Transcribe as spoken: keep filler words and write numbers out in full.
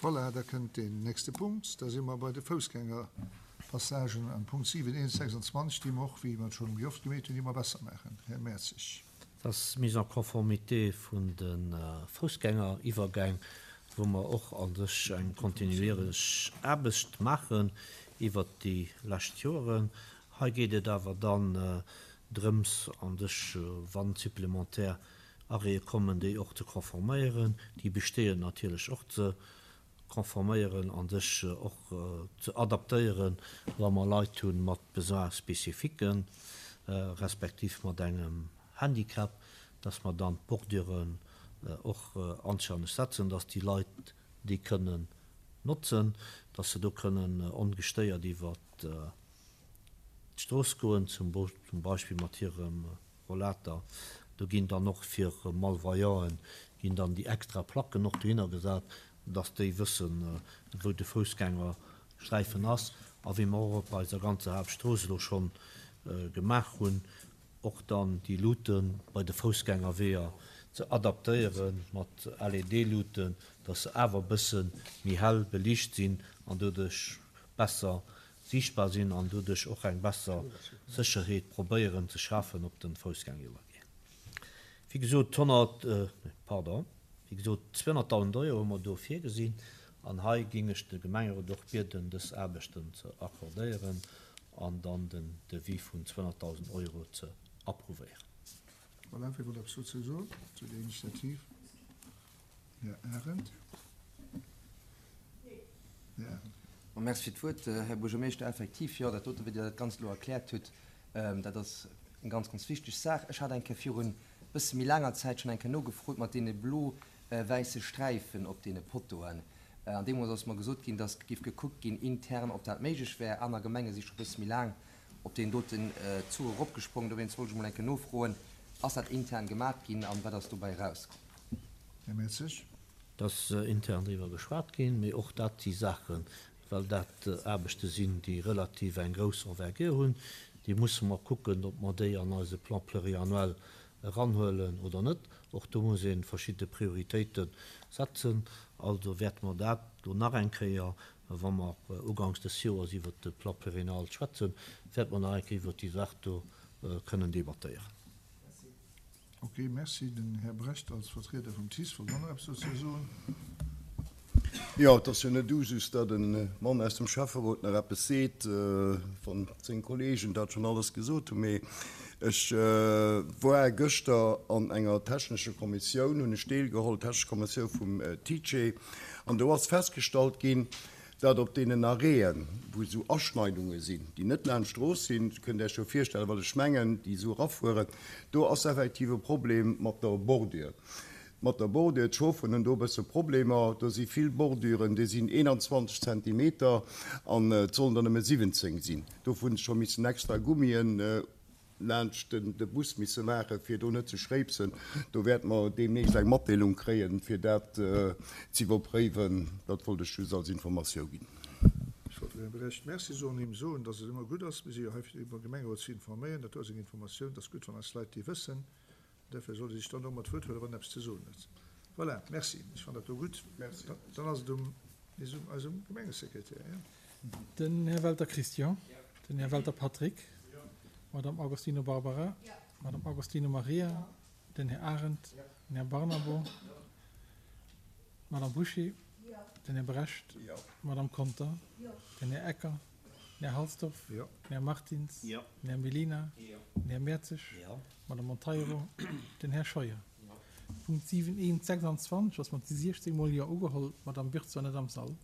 Voilà, da kënnt deen nächste Punkt. Da si mer bei de Foussgängerpassagen am Punkt siwen eent sechsundzwanzeg, déi mer och, wéi mer et scho méi oft gemeet hunn, déi mer besser maachen. Här Mertzig. Dat ass d'Mise en conformité vun de Foussgängeriwwergäng, wou mer och a sech eng kontinuierlech Aarbecht maachen iwwert déi lescht Joren. Hei geet et awer dann drëms, a sech, wann supplementär Arrêtë kommen, déi och ze konforméieren, déi bestehend natierlech och ze konforméieren an sech och ze adaptéieren, wa mer Leit hunn mat Besoins spécifiques, respektiv mat engem Handicap, dass mer dann d'Borduren och anstänneg setzen, dass déi Leit déi kënnen notzen, dass se do kënnen ongestéiert iwwer d'Strooss goen, zum Beispill mat hirem Rollator. Do ginn dann och fir Malvoyanten ginn dann déi extra Placken och dohinner gesat, dass déi wëssen, wou de Foussgängersträifen ass. A wéi mer och op eiser ganzer Haaptstrooss elo schonn gemaach hunn, och dann déi Luute bei de Foussgängerweeër ze adaptéieren mat L E D-Luuten, dass se awer e bësse méi hell beliicht sinn an doduerch besser sichtbar sinn an doduerch och eng besser Sécherheet probéieren ze schafen op den Foussgängeriwwergäng. Wéi gesot, honnert, pardon, wéi gesot, zweehonnerttausend Euro hu mer do virgesinn an hei ging ech de Gemengerot och bieden, dës Aarbechten ze accordéieren an dann den Devis vun zweehonnerttausend Euro ze approuvéieren. Voilà, wie wollt eppes dozou soen, zu der Initiativ? Här Arendt. Här Arendt. Bon, merci fir d'Wuert, Här Buergermeeschter. Effektiv, jo, dat dote, wéi Dir dat Ganzt elo erkläert hutt, dat ass eng ganz, ganz wichteg Saach. Ech hat eng Kéier virun e bësse méi laanger Zäit schonn eng Kéier nogefrot mat deene blo-wäisse Sträifen op deene Pottoen. An deemools ass mer gesot ginn, dass géif gekuckt ginn intern, ob dat méiglech wär. Aner Gemenge si scho e bësse méi laang op deen doten Zuch eropgesprongen. Dowéinst wollt ech emol eng Kéier nofroen, ass dat intern gemaach ginn an wat ass dobäi erauskomm? Här Mertzig. Dass intern driwwer geschwat ginn, mee och dat si Saachen, well dat Aarbechte sinn, déi relativ eng grouss Envergure hunn, déi musse mer kucken, ob mer déi an eise Plan pluriannuel eranhuelen oder net. Och do muss ee verschidde Prioritéite setzen. Also wäerte mer dat do nach eng Kéier, wa mer ugangs des Joers iwwer de Plan pluriannuel schwätzen, wäerte mer nach eng Kéier iwwer déi Saach do kënnen debattéieren. Ok, merci. Den Här Brecht als Vertrieder vum T I S wollt och nach eppes dozou soen. Jo, et ass jo net Usus, datt e Mann aus dem Schäfferot nach eppes seet, wann seng Kollegen dat schonn alles gesot hunn. Mee ech war gëschter an enger technescher Kommissioun, hunn ech deelgeholl, technesch Kommissioun vum T I C E, an do ass festgestallt ginn, datt op deenen Arrêten, wou esou Aschneidunge sinn, déi net laanscht d'Strooss sinn, kënnt Dir Iech jo virstellen, wat ech mengen, déi esou erafueren, do ass effektiv e Problem mat der Bordure. Mat der Bordure, d'Chaufferen hunn do e bësse Problemer, do si vill Borduren, déi sinn eenanzwanzeg Zentimeter an et sollen der nëmme siwwenzéng sinn. Dofir hunn se scho missen extra Gummien laanscht de Bus misse maachen, fir do net ze schréipsen. Do wäerte mer deemnächst eng Matdeelung kréien, fir dat ze iwwerpréiwen. Dat wollt ech just als Informatioun ginn. Ech wollt dem Här Brecht Merci soen, him soen, dass et ëmmer gutt ass, mir si jo hei fir de Gemengerot ze informéieren, dat do ass eng Informatioun, dat ass gutt, wann eis Leit déi wëssen. Dofir soll e sech dann och mat Wuert huelen, wann en eppes ze soen huet. Voilà, merci. Ech fannen dat do gutt. Merci. Dann ass et um eisem Gemengesekretär, jo. Den Här Welter Christian. Den Här Welter Patrick. Madame Agostino Barbara. Madame Agostino Maria. Den Här Arendt. Den Här Barnabo. Madame Bouché. Den Här Brecht. Madame Conter. Den Här Ecker. Den Här Halsdorf. Den Här Martins. Den Här Mellina. Den Här Mertzig. Madame Monteiro. Den Här Scheuer. Punkt siwen eent sechsundzwanzeg ass mat siechzéng Mol Jo ugeholl. D'Madame Birtz war net am Sall.